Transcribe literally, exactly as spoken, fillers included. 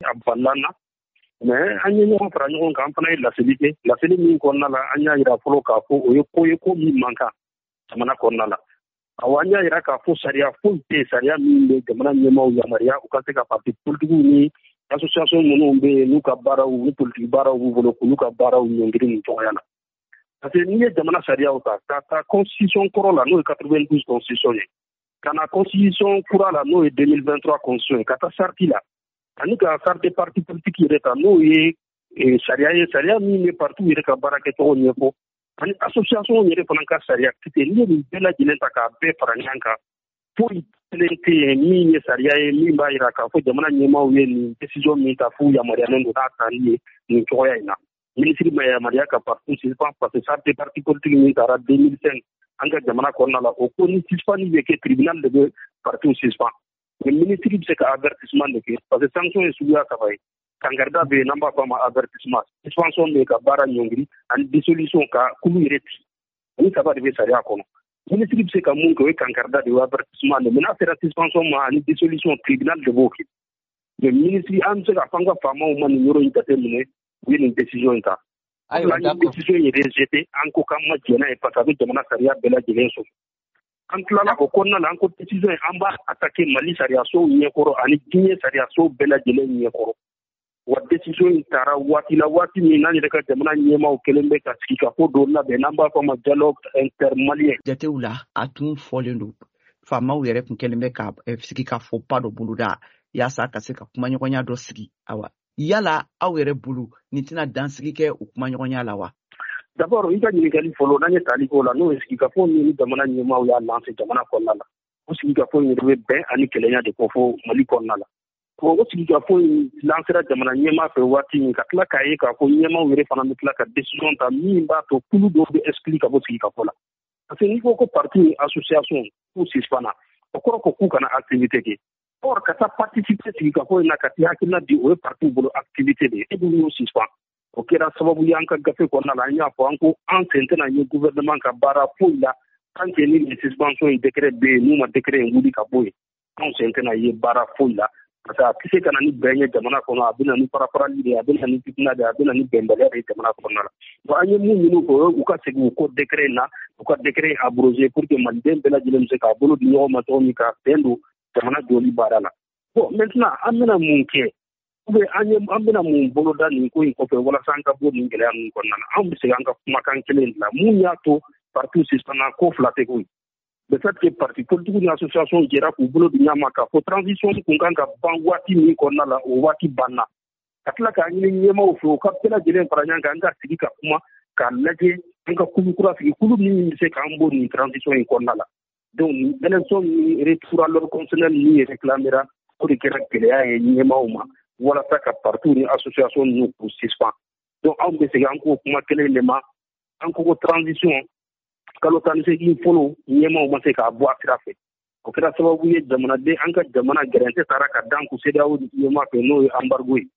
A balila an na, mais an ye ɲɔgɔn fara ɲɔgɔn kan, an fana ye laseli kɛ. Laseli min kɔnɔna la, an y'a yira fɔlɔ k'a fɔ o ye ko ye, ko min man kan jamana kɔnɔna la. Awɔ, an y'a yira k'a fɔ sariya foyi tɛ yen, sariya min bɛ jamana ɲɛmaaw yamaruya u ka se ka parti politikiw ni association minnu bɛ yen, n'u ka baaraw ni politiki baaraw b'u bolo, k'olu ka baaraw ɲɔngiri nin cogoya la. Parce que n'i ye jamana sariyaw ta ka taa constitution kɔrɔ la, n'o ye quatre-vingt-douze constitution ye, ka na constitution kura la, n'o ye deux mille vingt-trois constitution ye, ka taa charte la, ani ka charte des partis politiques yɛrɛ ta, n'o ye sariya ye, sariya min bɛ parti yɛrɛ ka baara kɛcogo ɲɛfɔ, ani association yɛrɛ fana ka sariya kisɛ, n'i ye nin bɛɛ lajɛlen ta k'a bɛɛ fara ɲɔgɔn kan, foyi kelen tɛ yen min ye sariya ye min b'a jira k'a fɔ jamana ɲɛmaaw ye nin décision min ta, f'u yamaruyalen don n'a tali ye nin cogoya in na. Minisiri ma yamaruya ka parti suspend, parce que charte des partis politiques min taara deux mille cinq an ka jamana kɔnɔna la, o ko ni suspend bɛ kɛ, tribunal de bɛ parti suspend, mais minisiri bɛ se ka avertissement de kɛ, parce que sanction ye suguya saba ye: kangarida bɛ yen, n'an b'a fɔ a ma avertissement, suspension bɛ yen, ka baara ɲɔngiri, ani dissolution, ka kulu yɛrɛ ci. Ni saba de bɛ sariya kɔnɔ. Minisiri bɛ se ka mun kɛ, o ye kangarida de ye, avertissement de. Mais n'a sera suspension ma ani dissolution, tribunal de b'o kɛ. Mais minisiri, an bɛ se k'a fɔ an ka faamaw ma nin yɔrɔ in jateminɛ, u ye nin décision in ta. Ayiwa. An ye décision in rejeté, an ko k'an ma jɛn n'a ye, parce que a bɛ jamana sariya bɛɛ lajɛlen sɔsɔ. An tilala o kɔnɔna la, an ko décision in, an b'a attaquer Mali sariyasow ɲɛkɔrɔ ani diɲɛ sariyasow bɛɛ lajɛlen ɲɛkɔrɔ. Wa décision in taara waati la, waati min n'an yɛrɛ ka jamana ɲɛmaaw kɛlen bɛ ka sigikafɔ dɔ labɛn, n'an b'a fɔ a ma dialogue intermalien. Jatew la, a tun fɔlen don, faamaw yɛrɛ tun kɛlen bɛ ka sigikafɔba dɔ boloda yaasa ka se ka kumaɲɔgɔnya dɔ sigi. Awa, yala aw yɛrɛ bolo, nin tɛna dansigi kɛ o kumaɲɔgɔnya la wa? D'abord, i ka ɲininkali fɔlɔ, n'an ye tali k'o la, n'o ye sigikafɔ min ni jamana ɲɛmaaw y'a lancé jamana kɔnɔna la, o sigikafɔ in yɛrɛ bɛ bɛn ani kelenya de kofɔ Mali kɔnɔna la. O sigikafɔ in lancera jamana ɲɛmaa fɛ waati min, ka tila k'a ye k'a fɔ ɲɛmaaw yɛrɛ fana bɛ tila ka décision ta min b'a to kulu dɔw bɛ exclu ka bɔ sigikafɔ la. Parce que n'i ko ko parti ni association k'u suspend, o kɔrɔ ko k'u kana activité kɛ. Or ka taa participer sigikafɔ in na, ka t'i hakilina di, o ye parti bolo activité de ye, e dun y'o suspend. O kɛra sababu ye, an ka gafe kɔnɔna la, an y'a fɔ, an ko an sen tɛna ye gouvernement ka baara foyi la tant que ni nin suspension in décret bɛ yen. N'u ma décret in wuli ka bɔ yen, anw sen tɛna ye baara foyi la, parce que a tɛ se ka na ni bɛn ye jamana kɔnɔ. A bɛ na ni farafarali de ye, a bɛ na ni fitina de ye, a bɛ na ni bɛnbaliya de ye jamana kɔnɔna la. Bon, an ye mun ɲini u fɛ, o ye u ka segin u kɔ décret in na, u ka décret in abrogé, pour que maliden bɛɛ lajɛlen bɛ se k'a bolo di ɲɔgɔn ma cogo min, ka bɛn don jamana jɔli baara la. Bon, maintenant, an bɛna mun kɛ, ou bien an ye an bɛna mun boloda nin ko in kɔfɛ walasa an ka bɔ nin gɛlɛya ninnu kɔnɔna na? Anw bɛ segin an ka kumakan kelen de la. Mun y'a to parti suspend? Ko fila tɛ koyi. Le fait que parti politique ni association jɛra k'u bolo di ɲɔgɔn ma k'a fɔ transition kun kan ka ban waati min kɔnɔna la, o waati banna, ka tila k'a ɲini ɲɛmaaw fɛ u ka bɛɛ lajɛlen fara ɲɔgɔn kan, an ka sigi ka kuma k'a lajɛ, an ka kulu kura sigi, kulu min bɛ se k'an bɔ nin transition in kɔnɔna la. Donc nin élection ni retour à l'ordre constitutionnel min réclamera, o de kɛra gɛlɛya ye ɲɛmaaw ma walasa ka parti ni association ninnu k'u suspend. Donc anw bɛ segin an k'o kuma kelen de ma. An ko ko transition kalo tan ni seegin fɔlɔ, ɲɛmaaw ma se k'a bɔ a sira fɛ. O kɛra sababu ye, jamanaden, an ka jamana gɛrɛntɛ taara ka dan kun CEDEAO ɲɛmaa fɛ, n'o ye embargo ye.